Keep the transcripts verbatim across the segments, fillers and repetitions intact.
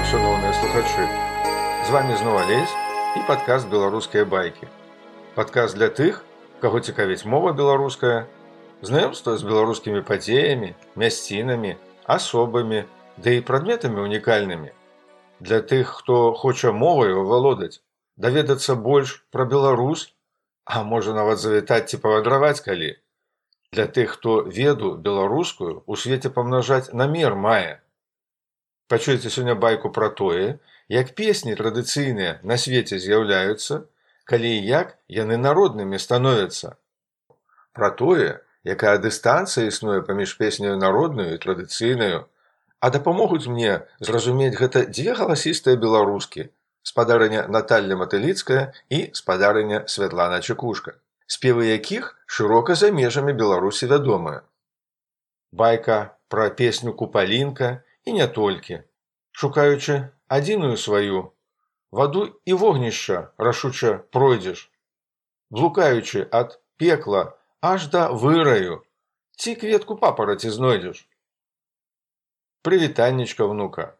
шановныя слухачы. З вами зноў Алесь і падкаст «Беларускія байкі». Падкаст для тых, каго цікавіць мова беларуская, знаёмства з беларускімі падзеямі, мясцінамі, асобамі, ды і прадметамі унікальнымі. Для тых, хто хоча моваю валодаць, даведацца больш пра Беларусь, а можа нават завітаць ці павандраваць калі. Для тых, хто веду беларускую у свеце памнажаць на мер мае. Пачуеце сёння байку пра тое, як песні традыцыйныя на свеце з'яўляюцца, калі і як яны народнымі становяцца. Пра тое, якая дыстанцыя існуе паміж песняю народнаю і традыцыйнаю, а дапамогуць мне зразумець гэта дзве галасістыя беларускі, спадарыня Наталля Матыліцкая і спадарыня Святлана Чекушка, спевы якіх шырока за межамі Беларусі вядомыя. Байка пра песню «Купалінка» і не толькі. Шукаючы адзіную сваю, ваду і вогнішча рашуча пройдзеш, блукаючы ад пекла аж да выраю, ці кветку папараці знойдзеш. Прывітаннічка, внука.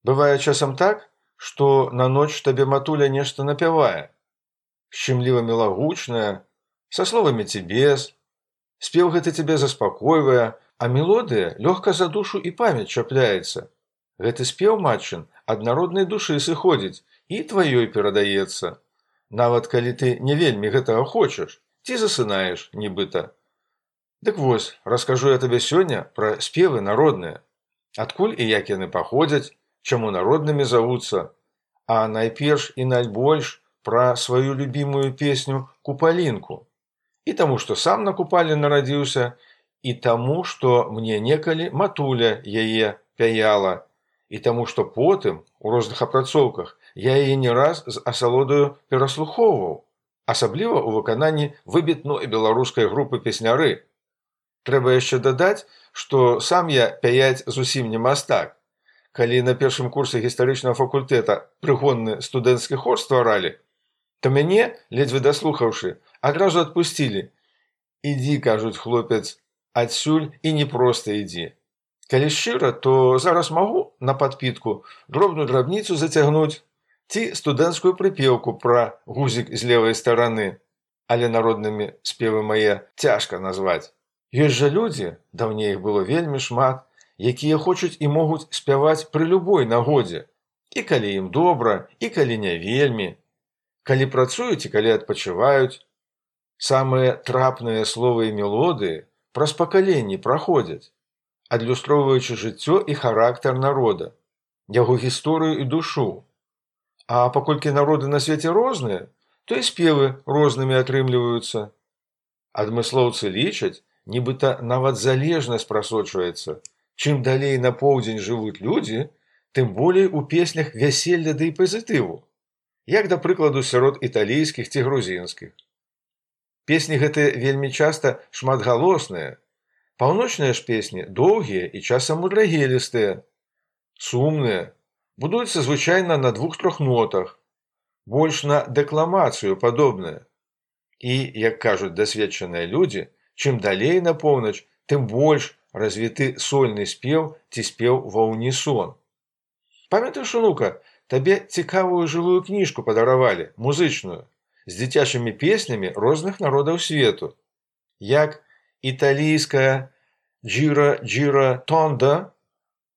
Бывае часам так, што на ноч табе матуля нешта напявае, шчымліва мілагучная, са словамі ці без, спеў гэты цябе заспакойвае, а мелодыя лёгка за душу і памяць чапляецца. Гэты спеў, матчын, ад народнай душы сыходзіць і тваёй перадаецца. Нават калі ты не вельмі гэтага хочаш, ці засынаеш, нібыта. Дык вось, раскажу я табе сёння пра спевы народныя. Адкуль і як яны паходзяць, чаму народнымі завуцца, а найперш і найбольш пра сваю любімую песню «Купалінку». І таму, што сам на купалі нарадзіўся, і таму, што мне некалі матуля яе пяяла, і таму, што потым, у розных апрацоўках, я яе не раз з асалодаю пераслухоўваў, асабліва ў выкананні выбітной беларускай групы песняры. Трэба яшчэ дадаць, што сам я пяяць зусім не мастак. Калі на першым курсе гістарычнага факультэта прыгонны студэнцкі хор стваралі, то мяне, ледзьве даслухаўшы, адразу адпусцілі. Ідзі, кажуць, хлопец, адсюль і не проста ідзі. Калі шчыра, то зараз магу на падпітку дробную драбніцу зацягнуць ці студэнцкую прыпеўку пра гузік з левай стараны, але народнымі спевы мае цяжка назваць. Ёсць жа людзі, даўней іх было вельмі шмат, якія хочуць і могуць спяваць пры любой нагодзе, і калі ім добра, і калі не вельмі, калі працуюць і калі адпачываюць. Самыя трапныя словы і мелодыі праз пакаленні праходзяць, адлюстроўваючы жыццё і характар народа, яго гісторыю і душу. А паколькі народы на свеце розныя, то і спевы рознымі атрымліваюцца. Адмыслоўцы лічаць, нібыта нават залежнасць прасочваецца. Чым далей на поўдзень жывуць людзі, тым болей у песнях вяселля ды і пазітыву, як, да прыкладу, сярод італійскіх ці грузінскіх. Песні гэтыя вельмі часта шматгалосныя. Паўночныя ж песні доўгія і часам мудрагелістыя, сумныя, будуюцца звычайна на двух-трох нотах, больш на дэкламацыю падобныя. І, як кажуць дасведчаныя людзі, чым далей на поўнач, тым больш развіты сольны спеў ці спеў ва ўнісон. Памятаеш, унука, табе цікавую жывую кніжку падаравалі, музычную, з дзіцячымі песнямі розных народаў свету, як італійская «Джира Джира Тонда»,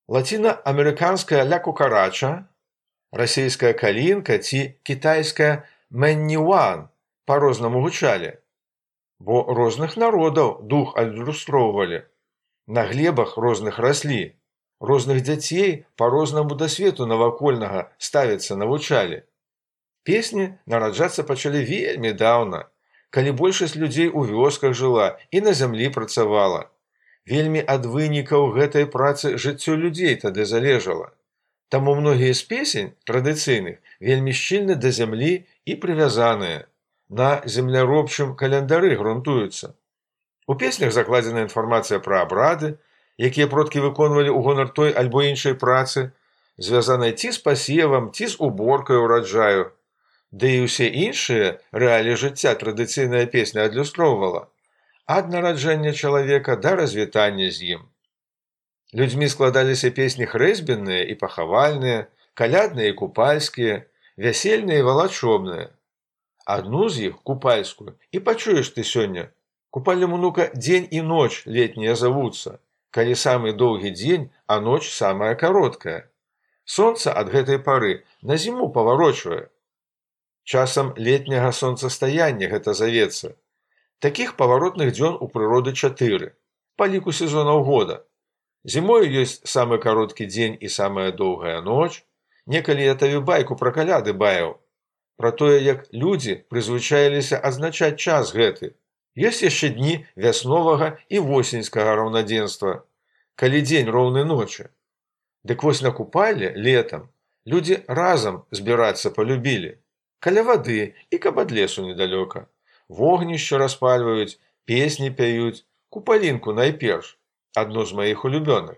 лаціна-амерыканская «Ля Кукарача», расейская «Калінка» ці кітайская «Мэнні-Уан» па-рознаму гучалі, бо розных народаў дух адлюстроўвалі, на глебах розных раслі, розных дзяцей па-рознаму да свету навакольнага ставіцца навучалі. Песні нараджацца пачалі вельмі даўна, калі большасць людзей у вёсках жыла і на зямлі працавала. Вельмі ад вынікаў гэтай працы жыццё людзей тады залежала. Таму многія з песень традыцыйных вельмі шчыльна да зямлі і прывязаныя, на земляробчым календары грунтуюцца. У песнях закладзена інфармацыя пра абрады, якія продкі выконвалі ў гонар той альбо іншай працы, звязанай ці з пасевам, ці з уборкай ураджаю. Ды і ўсе іншыя рэаліі жыцця традыцыйная песня адлюстроўвала ад нараджэння чалавека да развітання з ім. Людзьмі складаліся песні хрэсьбенныя і пахавальныя, калядныя і купальскія, вясельныя і валачобныя. Адну з іх, купальскую, і пачуеш ты сёння. Купальным унука дзень і ноч летнія завуцца, калі самы доўгі дзень, а ноч самая кароткая. Сонца ад гэтай пары на зіму паварочвае. Часам летняга сонцастаяння гэта завецца. Такіх паваротных дзён у прыроды чатыры, па ліку сезонаў года. Зімою ёсць самы кароткі дзень і самая доўгая ноч. Некалі я табе байку пра каляды баяў, пра тое, як людзі прызвычаіліся адзначаць час гэты. Ёсць яшчэ дні вясновага і восеньскага раўнадзенства, калі дзень роўны ночы. Дык вось на купалле летам людзі разам збірацца палюбілі. Каля вады і каб ад лесу недалёка. Вогнішча распальваюць, песні пяюць, купалінку найперш, адно з маіх улюбёных.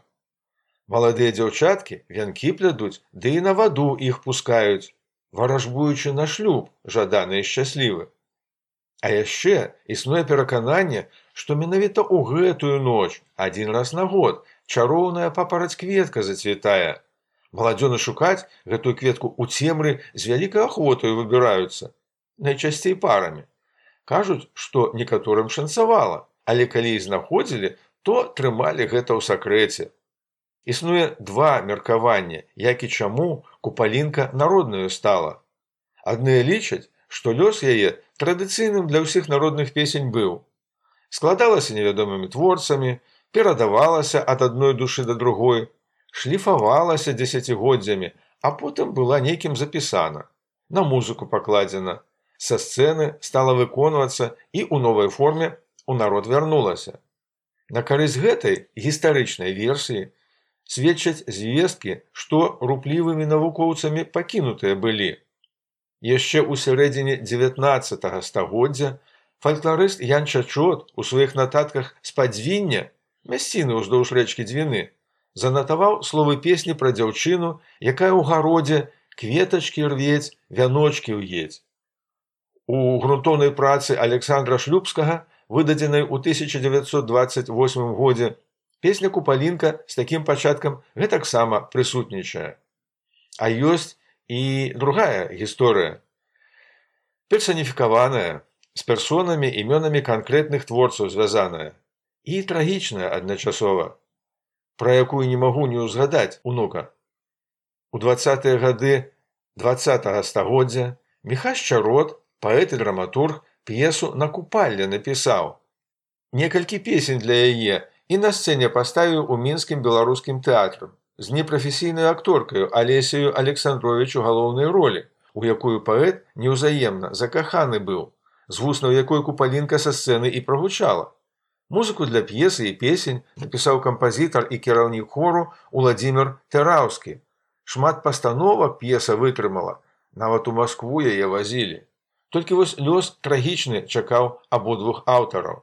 Маладыя дзяўчаткі вянкі плядуць, ды і на ваду іх пускаюць, варажбуючы на шлюб, жаданы і шчаслівы. А яшчэ існуе перакананне, што менавіта ў гэтую ноч, адзін раз на год, чароўная папараць-кветка зацвітае. Маладзёны шукаць гэтую кветку ў цемры з вялікай ахвотаю выбіраюцца, найчасцей парамі. Кажуць, што некаторым шанцавала, але калі і знаходзілі, то трымалі гэта ў сакрэце. Існуе два меркавання, як і чаму купалінка народнаю стала. Адныя лічаць, што лёс яе традыцыйным для ўсіх народных песень быў. Складалася невядомымі творцамі, перадавалася ад адной душы да другой, шліфавалася дзесяцігоддзямі, а потым была нейкім запісана, на музыку пакладзена, са сцэны стала выконвацца і ў новай форме у народ вярнулася. На карысць гэтай гістарычнай версіі сведчаць звесткі, што руплівымі навукоўцамі пакінутыя былі. Яшчэ ў сярэдзіне дзевятнаццатага стагоддзя фалькларыст Ян Чачот у сваіх нататках з Падзвіння, мясціны ўздоўж рэчкі Дзвіны, занатаваў словы песні пра дзяўчыну, якая ў гародзе кветачкі рвець, вяночкі ўедзь. У грунтоўнай працы Александра Шлюбскага, выдадзенай у тысяча дзевяцьсот дваццаць восьмым годзе, песня «Купалінка» з такім пачаткам гэтаксама прысутнічае. А ёсць і другая гісторыя, персаніфікаваная, з персонамі, імёнамі канкрэтных творцаў звязаная, і трагічная адначасова, пра якую не магу не ўзгадаць унука. У дваццатыя гады дваццатага стагоддзя Міхась Чарот, паэт і драматург, п'есу «На купалле» напісаў. Некалькі песень для яе і на сцэне паставіў у мінскім беларускім тэатры з непрафесійнай акторкаю Алесею Александровіч у галоўнай ролі, у якую паэт неўзаемна закаханы быў, з вуснаў якой купалінка са сцэны і прагучала. Музыку для п'есы і песень напісаў кампазітар і кіраўнік хору Уладзімір Тэраўскі. Шмат пастановак п'еса вытрымала, нават у Маскву яе вазілі. Толькі вось лёс трагічны чакаў абодвух аўтараў.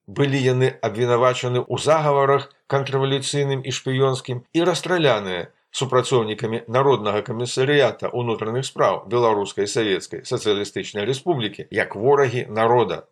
Былі яны абвінавачаны ў загаварах контррэвалюцыйным і шпіёнскім і расстраляныя супрацоўнікамі Народнага камісарыята ўнутраных спраў Беларускай Савецкай Сацыялістычнай Рэспублікі як ворагі народа.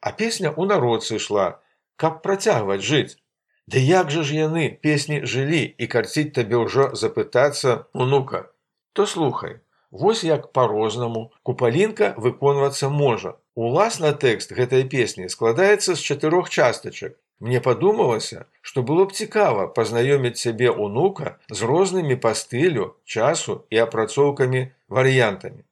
А песня ў народ сышла, каб працягваць жыць. Ды як жа ж яны, песні, жылі, і карціць табе ўжо запытацца, унука, то слухай, вось як па-рознаму купалінка выконвацца можа. Уласна тэкст гэтай песні складаецца з чатырох частачак. Мне падумалася, што было б цікава пазнаёміць сябе унука з рознымі па стылю, часу і апрацоўкамі варыянтамі.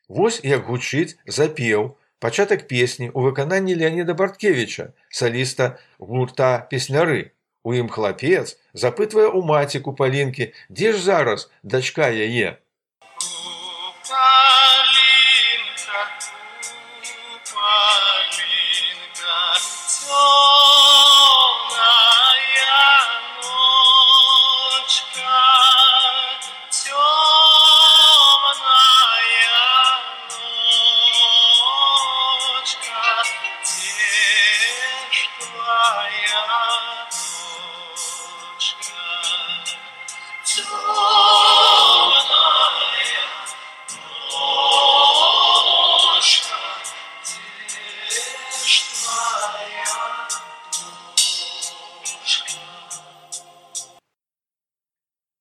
Вось як гучыць запеў, пачатак песні ў выкананні Леаніда Барткевіча, саліста гурта «Песняры». У ім хлапец запытвае ў маці купалінкі, дзе ж зараз дачка яе.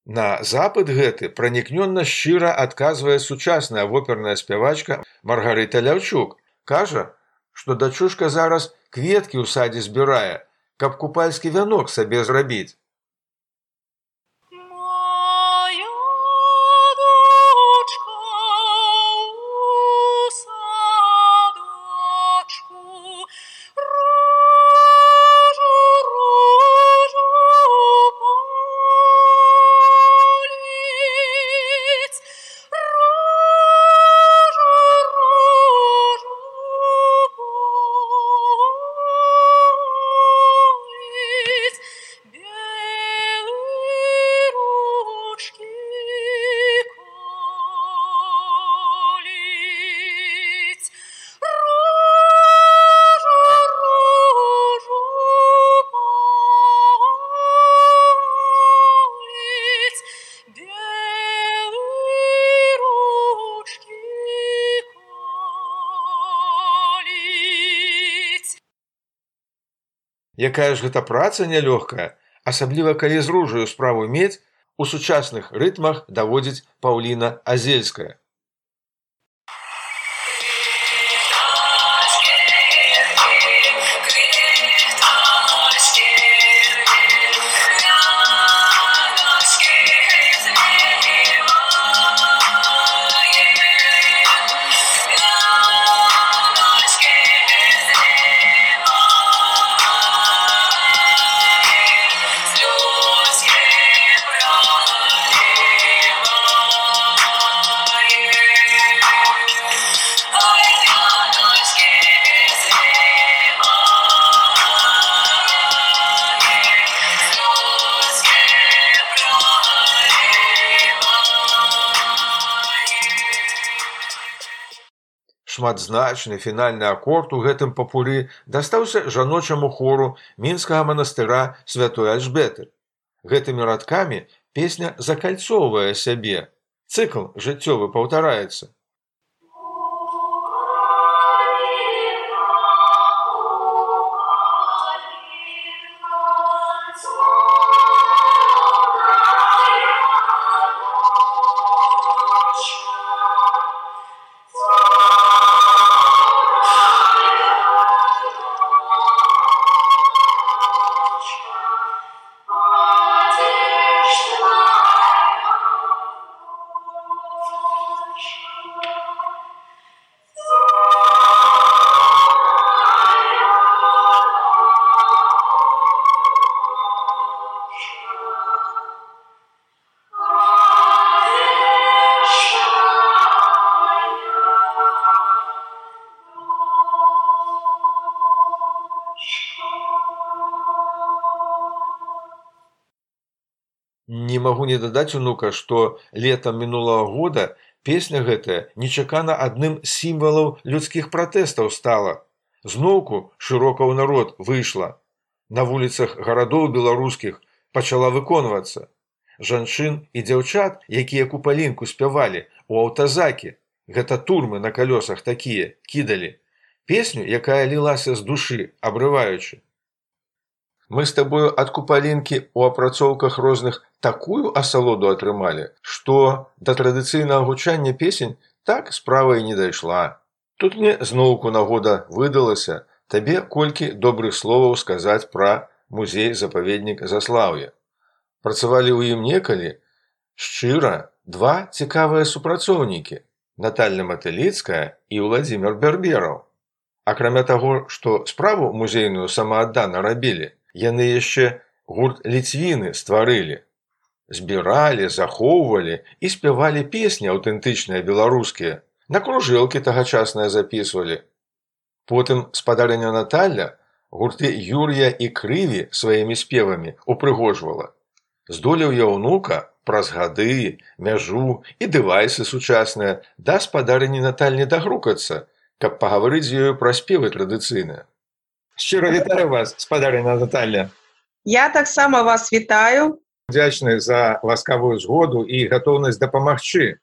На запыт гэты пранікнённа шчыра адказвае сучасная воперная спявачка Маргарыта Ляўчук. Кажа, што дачушка зараз кветкі ў садзе збірае, каб купальскі вянок сабе зрабіць. Якая ж гэта праца нялёгкая, асабліва калі з ружаю справу мець, у сучасных рытмах даводзіць Паўліна Азельская. Шматзначны фінальны акорд у гэтым папуры дастаўся жаночаму хору мінскага манастыра святой Альжбеты. Гэтымі радкамі песня закальцоўвае сябе. Цыкл жыццёвы паўтараецца. Не магу не дадаць, унука, што летам мінулага года песня гэтая нечакана адным з сімвалаў людскіх пратэстаў стала. Зноўку шырока ў народ выйшла. На вуліцах гарадоў беларускіх пачала выконвацца. Жанчын і дзяўчат, якія купалінку спявалі у аўтазакі, гэта турмы на калёсах такія, кідалі. Песню, якая лілася з душы, абрываючы. Мы з табою ад купалінкі ў апрацоўках розных такую асалоду атрымалі, што да традыцыйнага гучання песень так справа і не дайшла. Тут мне зноўку нагода выдалася табе колькі добрых словаў сказаць пра музей-запаведнік Заслаўе. Працавалі ў ім некалі шчыра два цікавыя супрацоўнікі – Наталья Матыліцкая і Ўладзімір Бярбераў. Акрамя таго, што справу музейную самааддана рабілі, яны яшчэ гурт Ліцвіны стварылі. Збіралі, захоўвалі і спявалі песні аўтэнтычныя беларускія. На кружэлкі тагачасныя запісвалі. Потым спадарыня Наталля гурты Юр'я і Крыві сваімі спевамі упрыгожвала. Здолеў я ўнука праз гады, мяжу і дэвайсы сучасныя да спадарыні Натальні дагрукацца, каб пагаварыць з ёю пра спевы традыцыйныя. Шчыра вітаю вас, спадарыня Наталья. Я таксама вас вітаю. Удзячны за ласкавую згоду і гатоўнасць дапамагчы.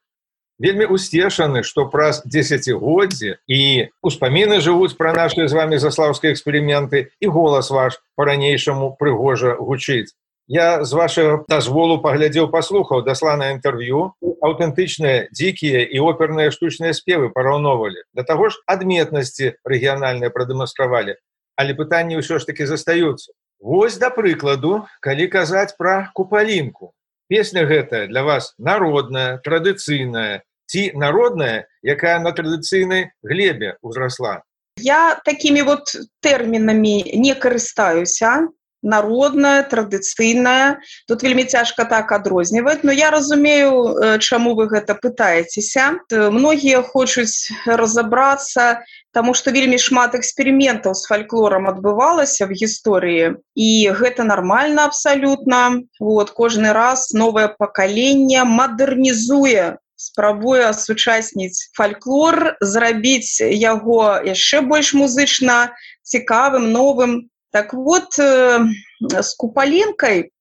Вельмі усцешаны, што праз дзесяцігоддзі і успаміны жывуць пра нашыя з вамі заслаўскія эксперыменты, і голас ваш па-ранейшаму прыгожа гучыць. Я з вашага дазволу паглядзеў, паслухаў дасланае інтэрв'ю, аўтэнтычныя, дзікія і оперныя штучныя спевы параўноўвалі. Да таго ж адметнасці рэгіянальныя прадэманстравалі. Але пытанні ўсё ж такі застаюцца. Вось, да прыкладу, калі казаць пра купалінку. Песня гэтая для вас народная, традыцыйная, ці народная, якая на традыцыйнай глебе ўзрасла? Я такімі вот тэрмінамі не карыстаюся. Народная, традыцыйная. Тут вельмі цяжка так адрозніваць, но я разумею, чаму вы гэта пытаецеся. Многія хочуць разабрацца, таму што вельмі шмат эксперыментаў з фальклорам адбывалася в гісторыі, і гэта нармальна абсалютна. Вот, кожны раз новае пакаленне мадэрнізуе, спрабуе асучасніць фальклор, зрабіць яго яшчэ больш музычна цікавым, новым. Так вот, з купалінкай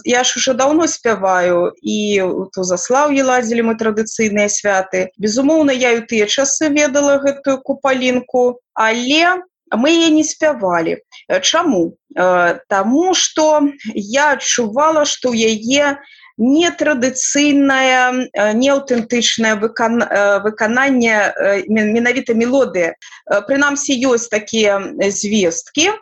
я ж уже даўно спяваю, і у Заслаўі ладзілі мы традыцыйныя святы. Безумоўна, я і ў тыя часы ведала гэтую купалінку, але мы яе не спявалі. Чаму? Таму што я адчувала, што ў яе нетрадыцыйнае, неаўтэнтычнае выкананне, менавіта мелодыя. Прынамсі, ёсць такія звесткі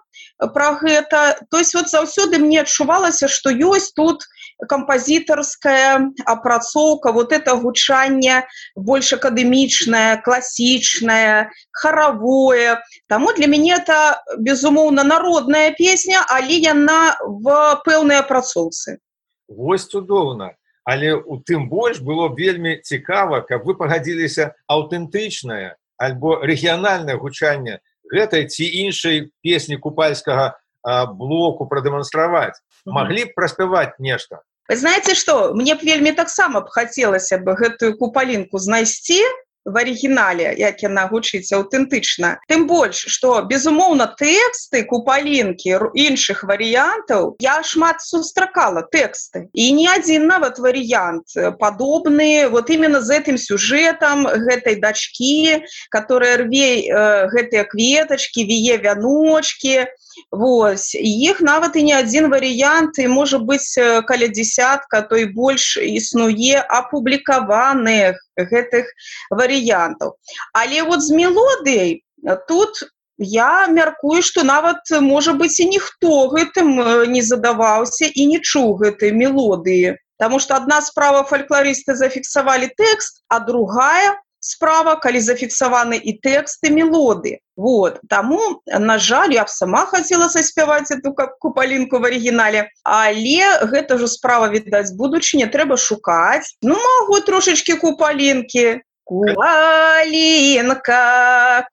пра гэта. То есть вот заўсёды мне адчувалася, што ёсць тут кампазітарская апрацоўка, вот это гучанне больш акадэмічнае, класічнае, харавое. Таму для мяне это, безумоўна, народная песня, але яна в пэўнай апрацоўцы. Вось цудоўна. Але у тым больш было вельмі цікава, каб вы пагадзіліся аўтэнтычнае альбо рэгіянальнае гучанне гэтай ці іншай песні купальскага а, блоку прадэманстраваць. Маглі б праспяваць нешта? Вы знаеце што? Мне б вельмі таксама б хацелася б гэтую купалінку знайсці в арыгінале, як яна гучыць аўтэнтычна. Тым больш, што, безумоўна, тэксты купалінкі іншых варыянтаў, я шмат сустракала тэксты. І не адзін нават варыянт падобны, вот именно з гэтым сюжэтам гэтай дачкі, которая рве э, гэтыя кветачкі, вие вяночкі. Вось. Іх нават і не адзін варыянт, і можа быць каля дзесятка, то і больш існуе апублікаваных гэтых варыянтаў. Але вот з мелодыяй тут я мяркую, што нават, можа быць, і ніхто гэтым не задаваўся і не чуў гэтай мелодыі. Таму што адна справа фальклорысты зафіксавалі тэкст, а другая справа, калі зафіксаваны і тэкст, і мелоды. Вот. Таму, на жаль, я б сама хацела заспяваць эту купалінку в арыгінале, але гэта ж справа, відаць, будучыня, трэба шукаць. Ну, магу трошачкі купалінкі. Купалінка,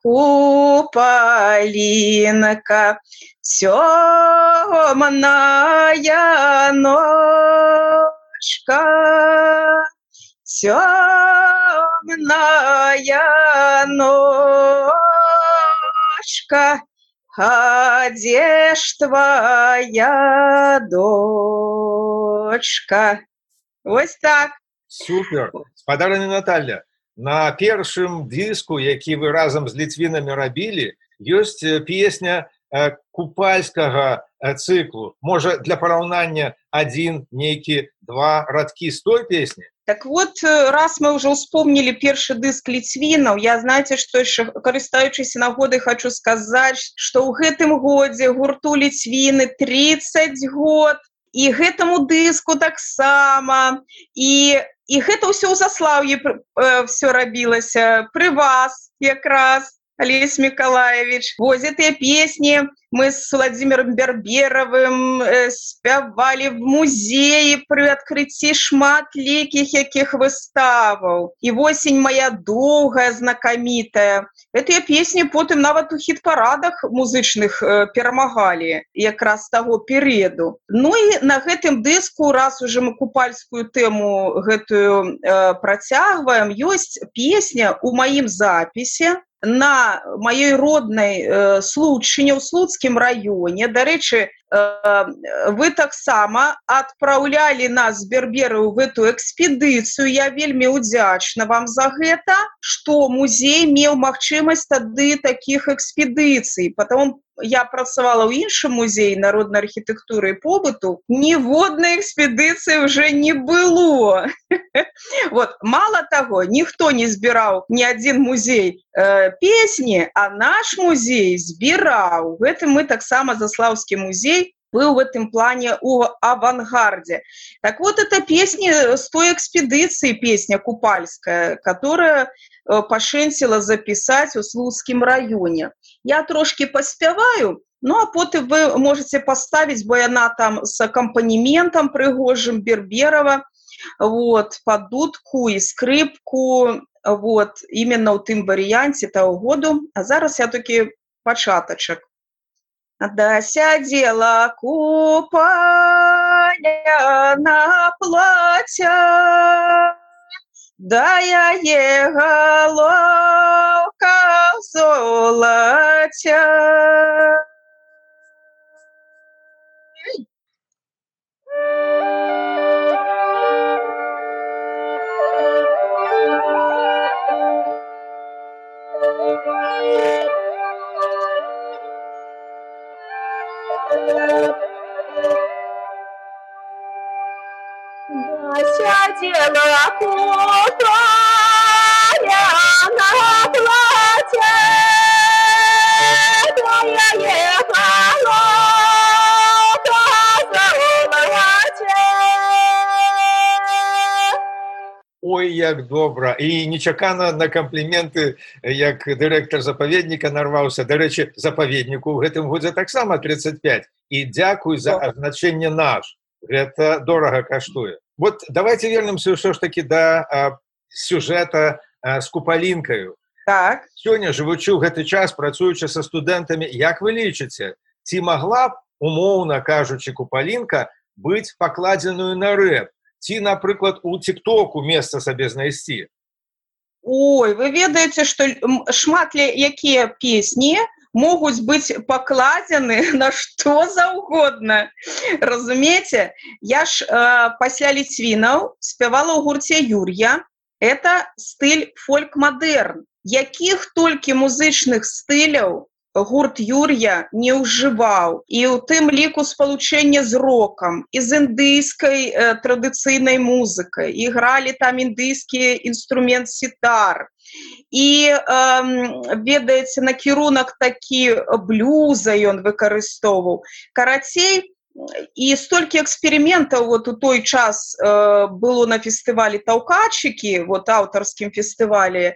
купалінка, цёмная ночка, темная ночка, а где ж твоя дочка? Вось так. Супер. Спадарня Наталья, на першым дыску, які вы разам з ліцвінамі рабілі, ёсць песня купальскага цыклу. Можа, для параўнання адзін, нейкі, два радкі з той песні? Так вот, раз мы уже вспомнили першы дыск ліцвінаў, я, знаете, што яшчэ, карыстаючыся нагодай, хочу сказаць, што ў гэтым годзе гурту ліцвіны тридцать год, і гэтаму дыску таксама, і, і гэта ўсё ў Заслаўі э, все рабілася, пры вас якраз, Олесь Миколаевич. Вот эти песни мы с Владимиром Берберовым э, спявали в музее при открытии шматлікіх якіх выставаў. И «Осень моя долгая», знакомитая. Эти песни потым нават у хит-парадах музычных э, перамагалі якраз з таго перыяду. Ну и на гэтым дыску, раз уже мы купальскую тэму гэтую э, працягваем, ёсць песня у маім запісе на маёй роднай э, Случыне ў Слуцкім раёне. Дарэчы, э, вы таксама адпраўлялі нас з Бербераў в эту экспедыцыю. Я вельмі удзячна вам за гэта, што музей меў магчымасць тады такіх экспедыцый. Потом я працавала ў іншым музеі народнай архітэктуры і побыту, ніводнай экспедыцыі уже не было. Вот, мало таго, ніхто не збіраў ні адзін музей э, песні, а наш музей збіраў. Гэтым мы таксама Заслаўскі музей был в этом плане у авангарде. Так вот, это песня с той экспедиции, песня Купальская, которая пашэнціла записать в Слуцкім районе. Я трошки поспяваю, ну а потом вы можете поставить, бо яна там с аккомпанементом прыгожим Берберова, вот, под дудку и скрипку, вот, именно в тым варианте того году. А зараз я таки початочек. Да сядела купаля на платья, да я ехала в золоте. Сядела купаля на платье, да я ехала в золоте. Ой, як добра. І нечакана на кампліменты, як дырэктар запаведніка нарваўся. Дарэчы, запаведніку ў гэтым годзе таксама тридцать пять. І дзякуй за азначэнне наш. Гэта дорага каштуе. Вот давайте вернемся все ж таки до а, сюжета а, с купалінкаю. Так. Сёння, жывучы ў гэты час, працуючы са студэнтамі, як вы лічыце, ці магла б, умоўна кажучы, купалінка быць пакладзеную на рэп? Ці, напрыклад, у тиктоку месца сабе знайсці? Ой, вы ведаеце, што шмат якія песні могуць быць пакладзены на што заўгодна. Разумееце? Я ж э, пасля Ліцвінаў спявала ў гурце Юр'я. Это стыль фольк-мадэрн. Якіх толькі музычных стыляў гурт Юр'я не ўжываў. І ў тым ліку спалучэнне з рокам, і з індыйскай э, традыцыйнай музыкай. І гралі там індыйскі інструмент сітар. І, э, ведаеце, накірунак такі блюза ён выкарыстоўваў. Карацей, і столькі эксперыментаў вот у той час э, было на фестывалі «Таўкачыкі», вот аўтарскім фестывалі э,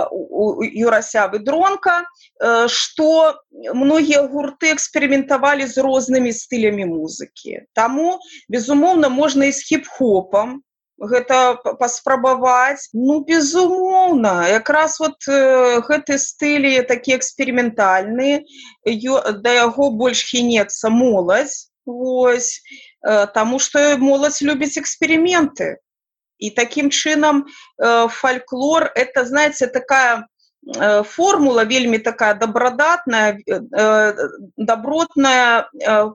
у Юрася Выдронка, э, што многія гурты эксперыментавалі з рознымі стылямі музыкі. Таму, безумоўна, можна і з хіп-хопам гэта паспрабаваць. Ну, безумоўна, якраз вот э, гэты стылі такі эксперыментальны, да яго больш хінецца моладзь, вось, э, таму што моладзь любіць эксперыменты. І такім чынам э, фальклор, это, знаете, такая э, формула вельмі такая добродатная, э, добротная, э,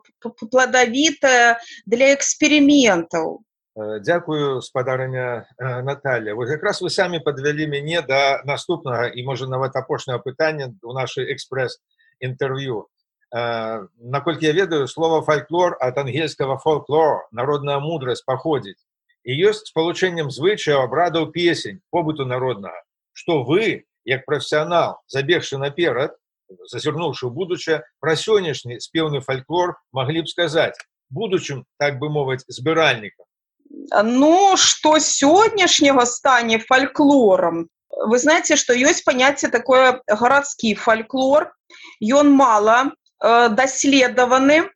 плодовитая для эксперыментаў. Дзякую, спадарыня Наталья. Вот якраз вы самі падвялі мяне да наступнага і, можа, нават апошняга пытання ў нашай экспрэс-інтэрв'ю. Наколькі я ведаю, слово фольклор ад ангельскага folklore, народная мудрасць, паходзіць. І ёсць спалучэннем звычаяў, абрадаў, песень, побыту народнага. Што вы, як прафесіянал, забегшы наперад, зазірнуўшы ў будучае, пра сённяшні спеўны фольклор маглі б сказаць, будучым, так бы мовіць, збіральнікам? Ну, что сегодняшнего стане фольклором? Вы знаете, что есть понятие такое городский фольклор. И он мало э, доследованы.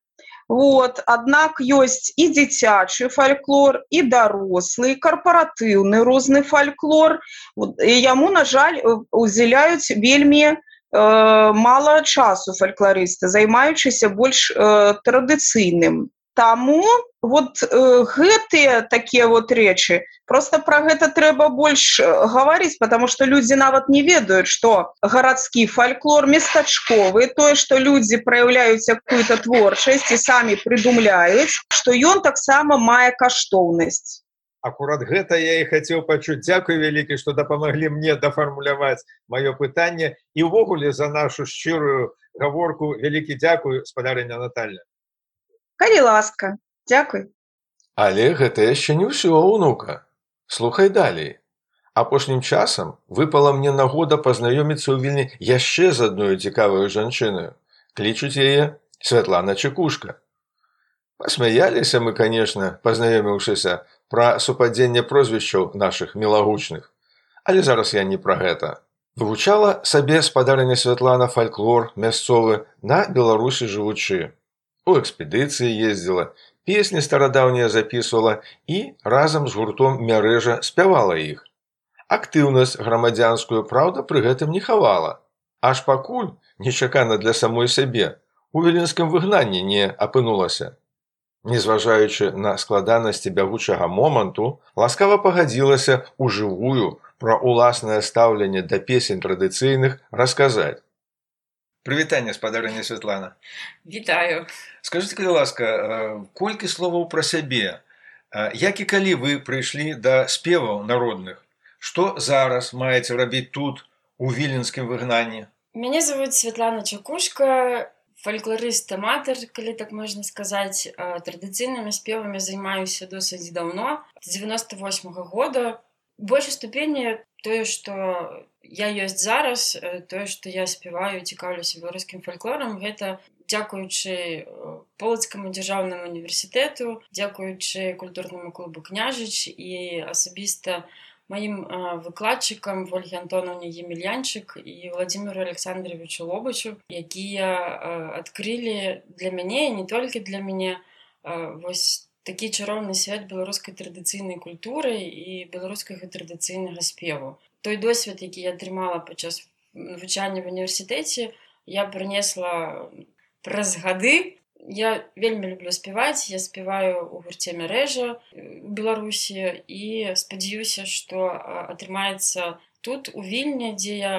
Вот. Однако есть и дзіцячы фольклор, и дорослый, корпоративный розный фольклор. Вот. И ему, на жаль, уделяют вельми э, мало часу фольклористы, займаючыся больш э, традыцыйным. Таму вот э, гэтыя такія вот рэчы, просто пра гэта трэба больш гаварыць, потому што людзі нават не ведаюць, што гарадскі фольклор местачковы, тое, што людзі праяўляюць якую-то творчасць і самі прыдумляюць, што ён таксама мае каштоўнасць. Акурат гэта я і хацеў пачуць. Дзякуй вялікі, што дапамаглі мне дафармуляваць маё пытанне і ўвогуле за нашу шчырую гаворку. Вялікі дзякуй, спадарыня Наталья. Калі ласка, дзякуй. Але гэта яшчэ не ўсё, унука. Слухай далей. Апошнім часам выпала мне нагода пазнаёміцца ў Вільні яшчэ з адной цікаваю жанчынаю. Клічуць яе Святлана Чекушка. Пасмяяліся мы, канешне, пазнаёміўшыся, пра супадзенне прозвішчаў нашых мілагучных. Але зараз я не пра гэта. Вывучала сабе спадарыня Святлана фальклор мясцовы на Беларусі жывучы. У экспедыцыі ездзіла, песні старадаўнія запісвала і разам з гуртом Мярэжа спявала іх. Актыўнасць грамадзянскую, праўда, пры гэтым не хавала. Аж пакуль, нечакана для самой сябе, у віленскім выгнанні не апынулася. Незважаючы на складанасці бягучага моманту, ласкава пагадзілася ў жывую пра ўласнае стаўленне да песень традыцыйных расказаць. Прывітанне, спадарыня Святлана. Вітаю. Скажыце, калі ласка, колькі словаў пра сябе? Як і калі вы прыйшлі да спеваў народных? Што зараз маеце рабіць тут, у віленскім выгнанні? Мяне зовут Святлана Чекушка, фальклорыст-аматар, калі так можна сказаць. Традыцыйнымі спевамі займаюся досыць даўно, з дзевяноста восьмага года. У большай ступені тое, што я ёсць зараз, тое, што я спяваю, цікаўлюся беларускім фальклорам, гэта дзякуючы Полацкаму дзяржаўнаму універсітэту, дзякуючы культурнаму клубу «Княжыч» і асабіста маім выкладчыкам Ольге Антонаўне Емельянчык і Владимиру Александровичу Лобачу, якія адкрылі для мяне, і не толькі для мяне, вось такі чароўны свет беларускай традыцыйнай культуры і беларускага традыцыйнага спеву. Той досвед, які я атрымала падчас навучання в універсітэце, я прынесла праз гады. Я вельмі люблю спяваць, я спяваю ў гурце Мярэжа у Беларусі і спадзяюся, што атрымаецца тут, у Вільні, дзе я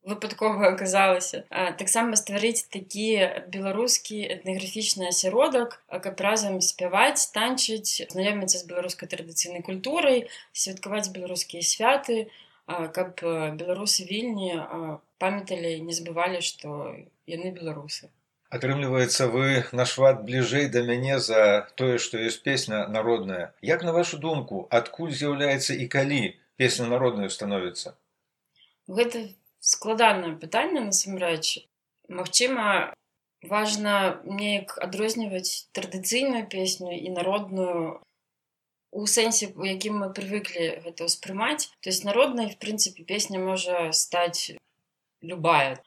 выпадкова аказалася, таксама стварыць такі беларускі этнаграфічны асяродак, каб разам спяваць, танчыць, знаёміцца з беларускай традыцыйнай культурай, святкаваць беларускія святы, каб беларусы Вільні памяталі і не забывалі, што яны беларусы. Атрымліваецца, вы нашмат бліжэй да мяне за тое, што ёсць песня народная. Як, на вашу думку, адкуль з'яўляецца і калі песня народнаю становіцца? Гэта складанае пытанне, насамрэч. Магчыма, важна неяк адрозніваць традыцыйную песню і народную у сэнсе, у якім мы прывыклі гэта ўспрымаць. То есть народнай, в прынцыпе, песня можа стаць любая.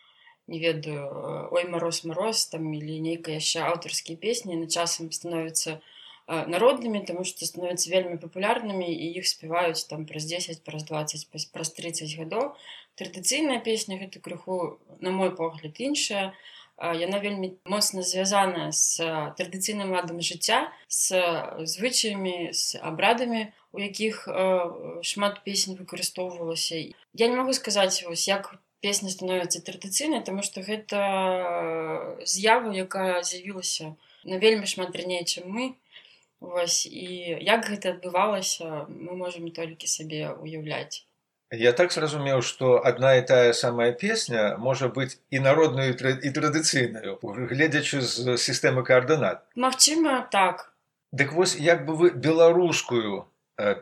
Не ведаю, ой, мароз, мароз, там, или нейкая яшчэ аўтарскія песні, на часам становяцца народнымі, таму што становяцца вельмі папулярнымі, і іх спяваюць там праз дзесяць, праз дваццаць, праз трыццаць гадоў. Традыцыйная песня гэта крыху, на мой погляд, іншая. Яна вельмі моцна звязаная з традыцыйным ладам жыцця, з звычаямі, з абрадамі, у якіх шмат песень выкарыстоўвалася. Я не магу сказаць, вось, як песня становіцца традыцыйнай, таму што гэта з'ява, якая з'явілася на вельмі шмат раней, чым мы. Вось, і як гэта адбывалася, мы можам толькі сабе уяўляць. Я так зразумеў, што адна і тая самая песня можа быць і народнаю, і традыцыйнаю, гледзячы з сістэмы каардынат. Магчыма, так. Дык вось, як бы вы беларускую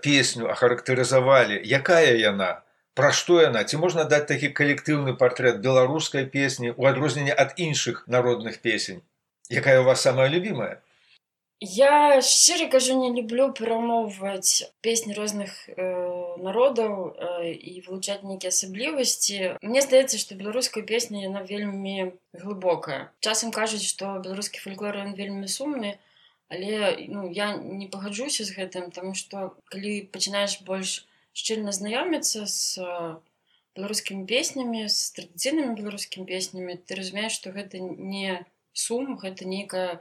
песню ахарактарызавалі, якая яна? Пра што яна? Ці можна даць такі калектыўны партрэт беларускай песні ў адрозненне ад іншых народных песень? Якая у вас самая любімая? Я, шчыра кажу, не люблю перамоўваць песні розных э, народаў э, і вылучаць нейкія асаблівасці. Мне здаецца, што беларуская песня, яна вельмі глыбокая. Часам кажуць, што беларускі фальклор, ён вельмі сумны, але ну, я не пагаджуся з гэтым, таму што калі пачынаеш больш шчыльна знаёміцца з беларускімі песнямі, з традыцыйнымі беларускімі песнямі, ты разумееш, што гэта не сум, гэта нейкая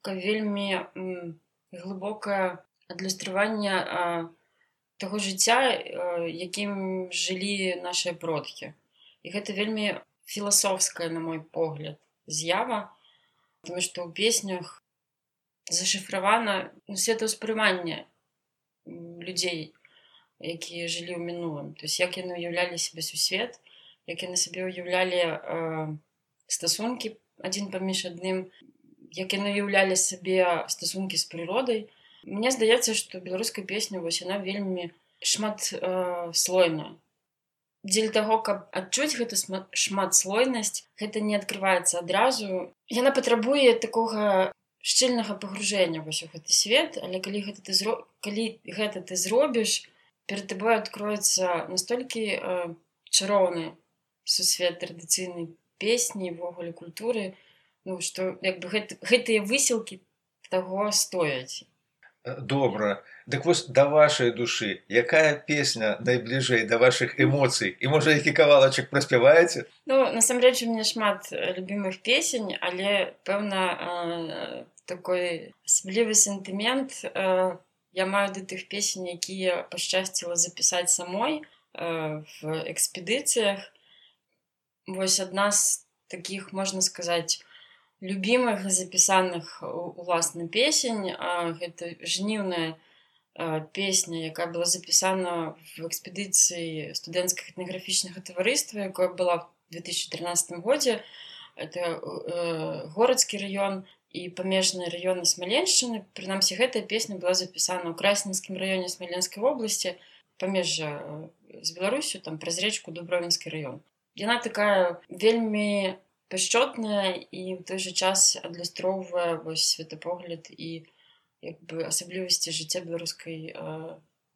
вельмі м, глыбокае адлюстраванне таго жыцця, якім жылі нашыя продкі. І гэта вельмі філасофская, на мой погляд, з'ява, тому што ў песнях зашыфравана ну, светаўспрыманне людзей, якія жылі ў мінулым. То есть, як яны уяўлялі сябе сусвет, як яны сабе уяўлялі э, стасункі адзін паміж адным, як яны уяўлялі сабе стасункі з прыродай. Мне здаецца, што беларуская песня вось яна вельмі шматслойная. Дзеля таго, каб адчуць гэту шматслойнасць, гэта не адкрываецца адразу. Яна патрабуе такога шчыльнага пагружэння вось у гэты свет, але калі гэта ты, зро... калі гэта ты зробіш, перад табой адкроецца настолькі э, чароўны сусвет традыцыйнай песні, ввогуле культуры, ну, што як бы гэт... гэтыя высілкі таго стояць. Добра. Дык вось да вашай душы, якая песня найбліжэй да вашых эмоцый? І можа, які кавалачак праспяваеце? Ну, насамрэч, у мяне шмат любімых песень, але, пэўна, э, такой асаблівы сентымент э, я маю да тых песень, якія пашчасціла запісаць самой э, в экспедыцыях. Вось адна з такіх, можна сказаць, любімых запісаных уласна песень. Гэта жніўная песня, якая была запісана в экспедыцыі студэнцкага этнаграфічнага таварыства, якое была в две тысячи тринадцатым годзе. Это горадскі раён і памежныя раёны Смаленшчыны. Прынамсі, гэтая песня была запісана ў Красненскім раёне Смаленскай вобласці, памежжа з Беларусю, там праз рэчку Дубровінскі раён. Яна такая вельмі пяшчотная і ў той жа час адлюстроўвае вось светапогляд і як бы асаблівасці жыцця беларускай э,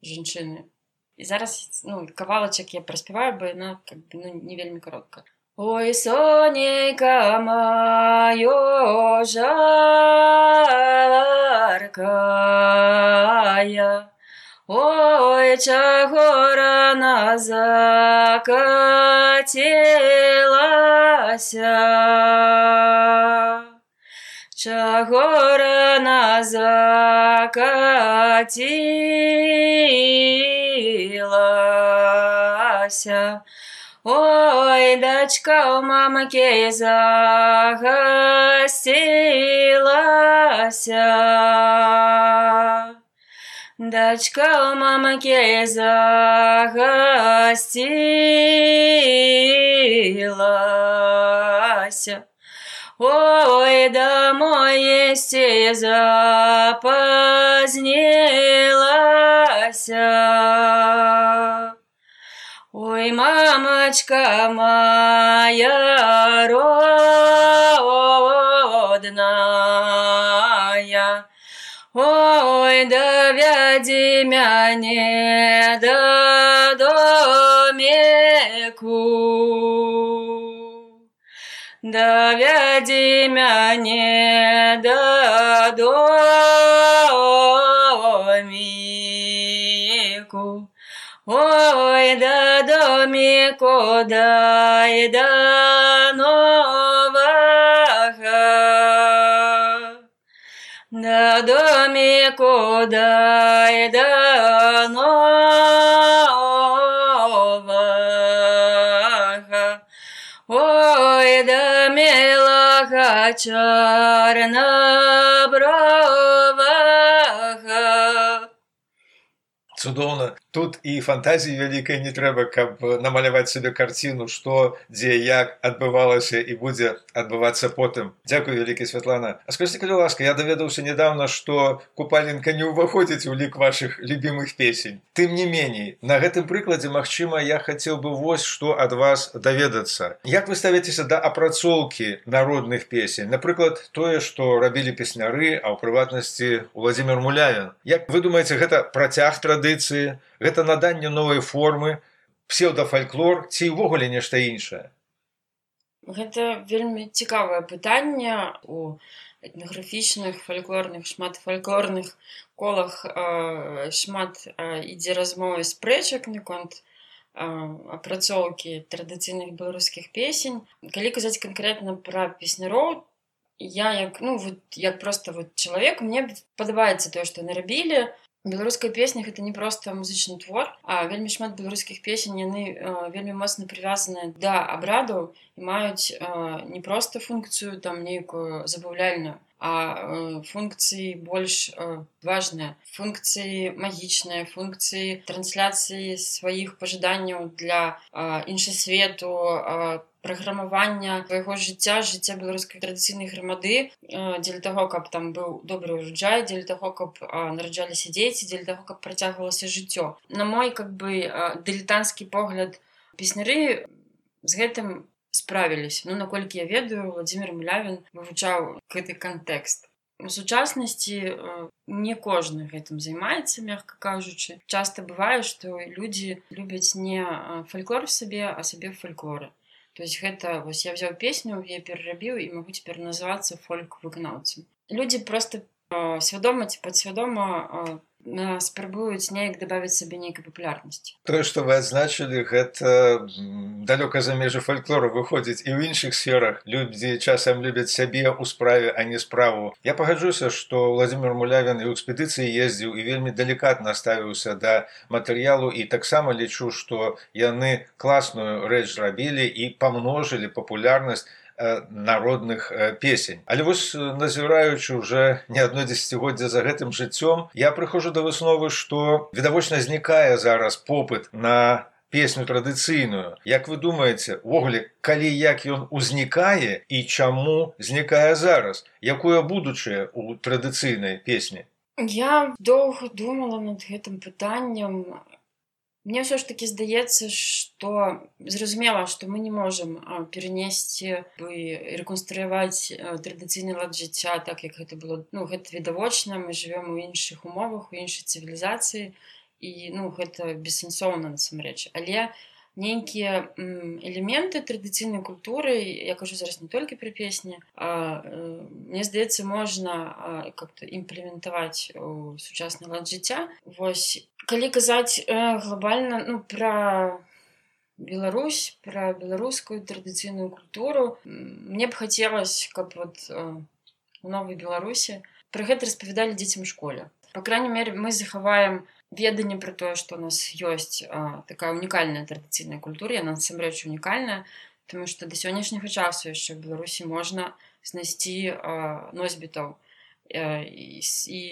жанчыны. І зараз, ну, кавалачак я праспяваю, бо яна как бы, ну, не вельмі каротка. Ой, сонейка маё жаркая, ой, чаго рана закацілася, чаго рана закацілася, ой, дачка у мамакі загасцілася, дачка у мамакі загасцілася, ой, домой есці запазнілася, ой, мамачка моя родная, ой, давядзі мяне да доміку, давядзі мяне да доміку, ой, да доміку, дай да новага, да доміку, дай да новага, ой, да мілага чорнабровага. Цудоўна. Тут і фантазіі вялікай не трэба, каб намаляваць сабе карціну, што, дзе, як адбывалася і будзе адбывацца потым. Дзякуй вялікі, Святлана. А скажыце, калі ласка, я даведаўся недавно, што купаленка не ўваходзіць у лік вашых любімых песень. Тым не меней, на гэтым прыкладзе, магчыма, я хацеў бы вось што ад вас даведацца. Як вы ставіцеся да апрацоўкі народных песень? Напрыклад, тое, што рабілі песняры, а ў прыватнасці Уладзімір Мулявін. Як вы думаеце, гэта працяг традыцыі? Гэта наданне новай формы, псеўдафальклор ці ўвогуле нешта іншае? Гэта вельмі цікавае пытанне. У этнаграфічных, фальклорных, шматфальклорных колах э, шмат э, ідзе размовы спрэчак наконт э, апрацоўкі традыцыйных беларускіх песень. Калі казаць канкрэтна пра песняроў, я як, ну, вот, як проста вот, чалавек, мне падабаецца тое, што яны рабілі. Беларуская песня гэта не проста музычны твор, а вельмі шмат беларускіх песень яны э, вельмі моцна прывязаныя да абрадаў і маюць э, не проста функцыю там нейкую забаўляльную, а функцыі больш важныя, функцыі магічныя, функцыі трансляцыі сваіх пажаданняў для іншасвету, праграмавання свайго жыцця, жыцця беларускай традыцыйнай грамады, дзеля таго, каб там быў добры ўраджай, дзеля таго, каб нараджаліся дзеці, дзеля таго, каб працягвалася жыццё. На мой как бы дылетанцкі погляд, песняры з гэтым справіліся. Ну, наколькі я ведаю, Владзімір Малявін вывучаў гэты кантэкст. У сучаснасці не кожны гэтым займаецца, мякка кажучы. Часта бывае, што людзі любяць не фальклор сабе, а сабе фальклоры. То есть гэта, вось я взяў песню, я перарабіў і магу цяпер называцца фольк-выканаўцам. Людзі проста свядома ці падсвядома спрабуюць неяк дабавіць сабе нейкай папулярнасці. Тое, што вы адзначылі, гэта далёка за межы фальклору выходзіць і ў іншых сферах. Людзі часам любяць сябе ў справе, а не справу. Я пагаджуся, што Владзімір Малявін і ў экспедыцыі ездзіў і вельмі далікатна ставіўся да матэрыялу, і таксама лічу, што яны класную рэч зрабілі і памножылі папулярнасць народных песень. Але вось, назіраючы ўжо не адно дзесяцігоддзе за гэтым жыццём, я прыходжу да высновы, што відавочна знікае зараз попыт на песню традыцыйную. Як вы думаеце, увогуле, калі як ён узнікае і чаму знікае зараз? Якое будучае ў традыцыйнай песні? Я доўга думала над гэтым пытаннем. Мне ўсё ж такі здаецца, што зразумела, што мы не можам перанесці і рэканструяваць традыцыйны лад жыцця так, як гэта было. Ну, гэта відавочна, мы жывём у іншых умовах, у іншай цывілізацыі, і ну, гэта бессэнсоўна насамрэч. Але нейкія элементы традыцыйнай культуры, я кажу зараз не толькі пра песні, а мне здаецца, можна как-то імплементаваць у сучасны лад жыцця. Вось, калі казаць глобальна, ну, пра Беларусь, пра беларускую традыцыйную культуру, мне б хацелася, каб вот у новай Беларусі пра гэта распавядалі дзецям у школе. Па крайней мере, мы захаваем веданне пра тое, што у нас ёсць а, такая унікальная традыцыйная культура, яна насамрэч унікальная, тому што да сённяшняга часу яшчэ ў Беларусі можна знайсці а, носьбітаў а, і, і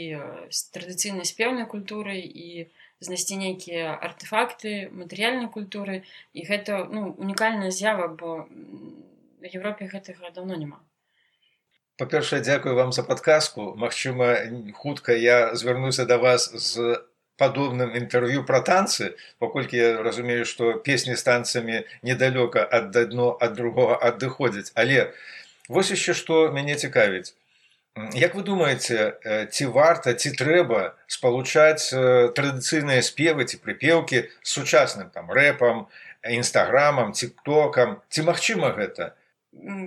з традыцыйнай спеўнай культуры, і знайсці нейкія артефакты матэрыяльнай культуры, і гэта ну, унікальная з'ява, бо в Европе гэтага даўно няма. Па-першае, дзякую вам за падказку. Магчыма, хутка я звярнуся да вас з падобным інтэрв'ю пра танцы, паколькі я разумею, што песні з танцамі недалёка ад адно ад другога адыходзяць. Але вось яшчэ што мяне цікавіць. Як вы думаеце, ці варта, ці трэба спалучаць традыцыйныя спевы ці прыпеўкі з сучасным там рэпам, інстаграмам, тиктокам? Ці магчыма гэта?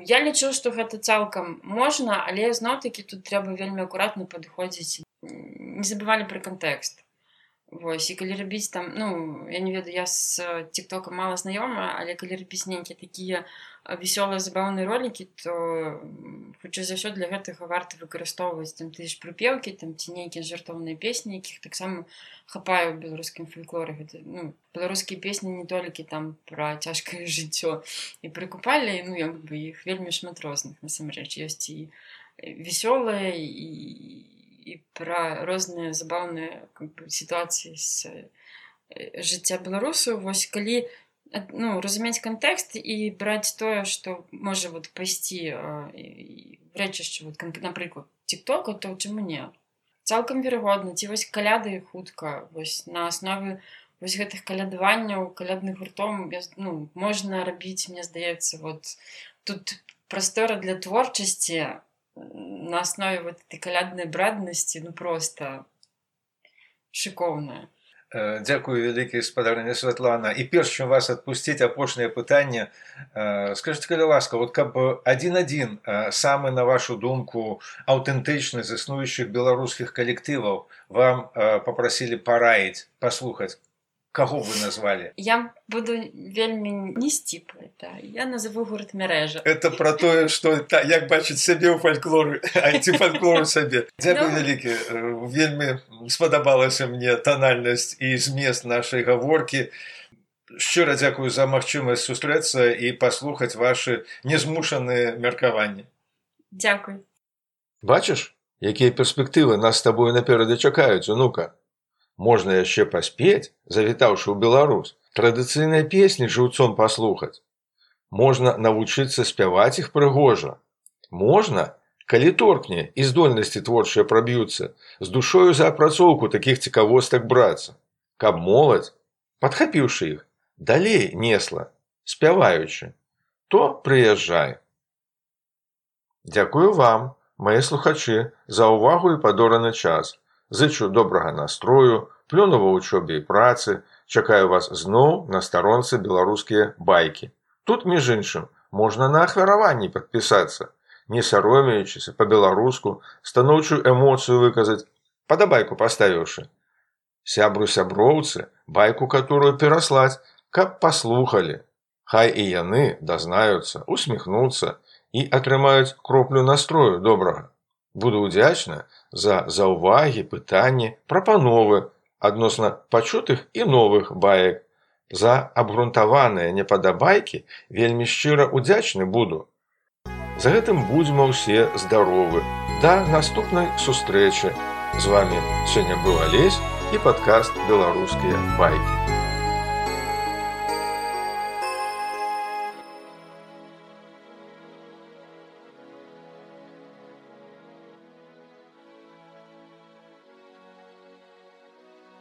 Я лічу, што гэта цалкам можна, але зноў-такі тут трэба вельмі акуратна падыходзіць. Не забывалі пра кантэкст. Вось, і калі рабіць там, ну, я не ведаю, я з тиктокам мала знаёма, але калі рабіць нейкія такія весёлыя забаўныя ролікі, то хутчэй за ўсё для гэтага варта выкарыстоўваць там тыя ж прыпеўкі, там ці нейкія жартоўныя песні, якіх таксама хапае ў беларускім фальклоры. Гэта, ну, беларускія песні не толькі там пра цяжкае жыццё і пра купалі, ну, як бы іх вельмі шмат розных, насамрэч. Ёсць і весёлыя, і і пра розныя забаўныя как бы, сітуацыі з жыцця беларусаў. Вось калі ну, разумець кантэкст і браць тое, што можа вот, пайсці в рэчышча, вот, напрыклад, тиктока, то чаму не? Цалкам верагодна, ці вось каляды хутка, вось на аснове вось гэтых калядаванняў, калядных гуртоў ну, можна рабіць, мне здаецца, вот, тут прастора для творчасці на основе вот этой калядной брадности, ну просто шикоўная. Дзякую вялікі, спадарня Святлана. І перш чым вас адпусціць, апошняе пытанне. Скажыце, калі ласка, вот каб адзін-адзін самы, на вашу думку, аўтэнтычны з існуючых беларускіх калектываў вам папрасілі параіць, паслухаць, каго вы назвалі? Я буду вельмі не сціплай, да. Я назову гурт Мярэжа. Это про тое, што та, як бачыць сябе ў фальклоры, а ці фальклору сабе. Дзякуй вялікі. Вельмі спадабалася мне танальнасць і змест нашай гаворкі. Шчыра дзякую за магчымасць сустрэцца і паслухаць вашы незмушаныя меркаванні. Дзякуй. Бачыш, якія перспектывы нас з табою наперадзе чакаюць, унука? Можна яшчэ паспець, завітаўшы ў Беларусь, традыцыйныя песні жыўцом паслухаць. Можна навучыцца спяваць іх прыгожа. Можна, калі торкне і здольнасці творчыя праб'юцца, з душою за апрацоўку такіх цікавостак брацца, каб моладзь, падхапіўшы іх, далей несла, спяваючы, то прыязджай. Дзякую вам, мае слухачы, за ўвагу і падораны час. Зычу добрага настрою, плёну ва вучобе і працы, чакаю вас зноў на старонцы беларускія байкі. Тут, між іншым, можна на ахвяраванні падпісацца, не саромеючыся, па-беларуску, станоўчую эмоцыю выказаць, падабайку паставіўшы. Сябру-сяброўцы, байку которую пераслаць, каб паслухалі. Хай і яны дазнаюцца, усміхнуцца і атрымаюць кроплю настрою добрага. Буду ўдзячна за заўвагі, пытанні, прапановы адносна пачутых і новых баек. За абгрунтаваныя непадабайкі вельмі шчыра ўдзячны буду. За гэтым будзьма ўсе здаровы. Да наступнай сустрэчы. З вамі сёння быў Алесь і падкаст «Беларускія байкі».